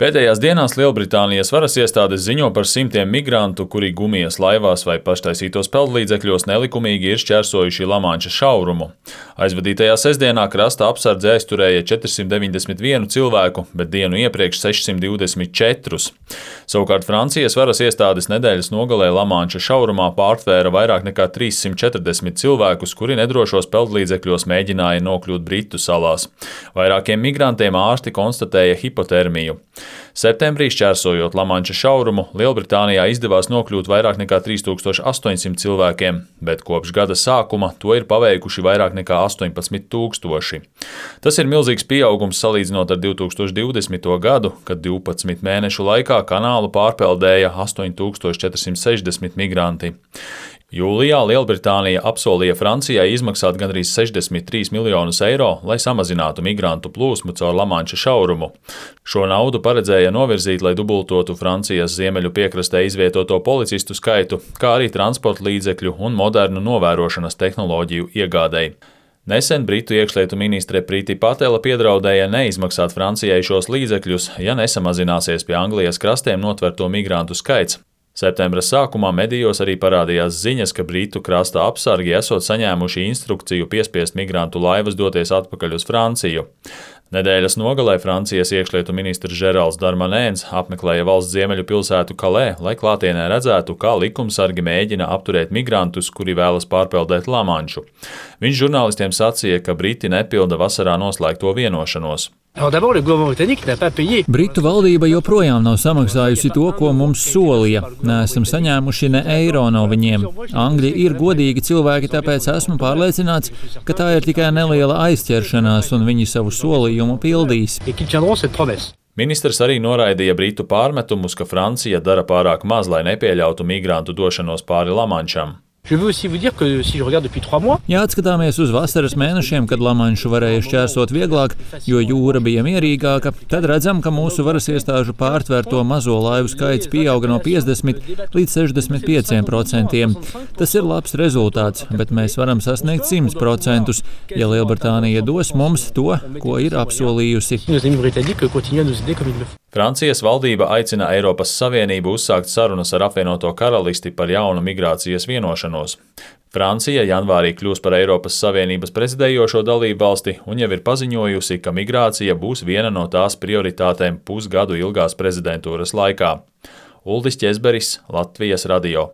Pēdējās dienās Lielbritānijas varas iestādes ziņo par simtiem migrantu, kuri gumijas laivās vai paštaisītos peldlīdzekļos nelikumīgi ir šķērsojuši Lamanša šaurumu. Aizvadītajā sestdienā krasta apsardze aizturēja 491 cilvēku, bet dienu iepriekš 624. Savukārt Francijas varas iestādes nedēļas nogalē Lamanša šaurumā pārtvēra vairāk nekā 340 cilvēkus, kuri nedrošos peldlīdzekļos mēģināja nokļūt Britu salās. Vairākiem migrantiem ārsti konstatēja hipotermiju. Septembrī, šķērsojot Lamanša šaurumu, Lielbritānijā izdevās nokļūt vairāk nekā 3800 cilvēkiem, bet kopš gada sākuma to ir paveikuši vairāk nekā 18 000. Tas ir milzīgs pieaugums salīdzinot ar 2020. gadu, kad 12 mēnešu laikā kanālu pārpeldēja 8460 migranti. Jūlijā Lielbritānija apsolīja Francijai izmaksāt gandrīz 63 miljonus eiro, lai samazinātu migrantu plūsmu caur Lamanša šaurumu. Šo naudu paredzēja novirzīt, lai dubultotu Francijas ziemeļu piekrastē izvietoto policistu skaitu, kā arī transporta līdzekļu un modernu novērošanas tehnoloģiju iegādei. Nesen Britu iekšlietu ministre Priti Patela piedraudēja neizmaksāt Francijai šos līdzekļus, ja nesamazināsies pie Anglijas krastiem notverto migrantu skaits. Septembra sākumā medijos arī parādījās ziņas, ka Britu krasta apsargi esot saņēmuši instrukciju piespiest migrantu laivas doties atpakaļ uz Franciju. Nedēļas nogalē Francijas iekšlietu ministrs Žerāls Darmanēns apmeklēja valsts ziemeļu pilsētu Kalē, lai klātienē redzētu, kā likumsargi mēģina apturēt migrantus, kuri vēlas pārpeldēt Lamanšu. Viņš žurnālistiem sacīja, ka Briti nepilda vasarā noslēgto vienošanos. Britu valdība joprojām nav samaksājusi to, ko mums solīja. Neesam saņēmuši ne eiro no viņiem. Angļi ir godīgi cilvēki, tāpēc esmu pārliecināts, ka tā ir tikai neliela aizķeršanās un viņi savu solījumu pildīs. Ministrs arī noraidīja Britu pārmetumus, ka Francija dara pārāk maz, lai nepieļautu migrantu došanos pāri Lamanšam. Ja atskatāmies uz vasaras mēnešiem, kad Lamanšu varēja šķērsot vieglāk, jo jūra bija mierīgāka, tad redzam, ka mūsu varas iestāžu pārtvērto mazo laivu skaits pieauga no 50 līdz 65%. Tas ir labs rezultāts, bet mēs varam sasniegt 100%, ja Lielbritānija dos mums to, ko ir apsolījusi. Francijas valdība aicina Eiropas Savienību uzsākt sarunas ar apvienoto karalisti par jaunu migrācijas vienošanos. Francija janvārī kļūs par Eiropas Savienības prezidējošo dalību valsti un jau ir paziņojusi, ka migrācija būs viena no tās prioritātēm pusgadu ilgās prezidentūras laikā. Uldis Ķezberis, Latvijas radio.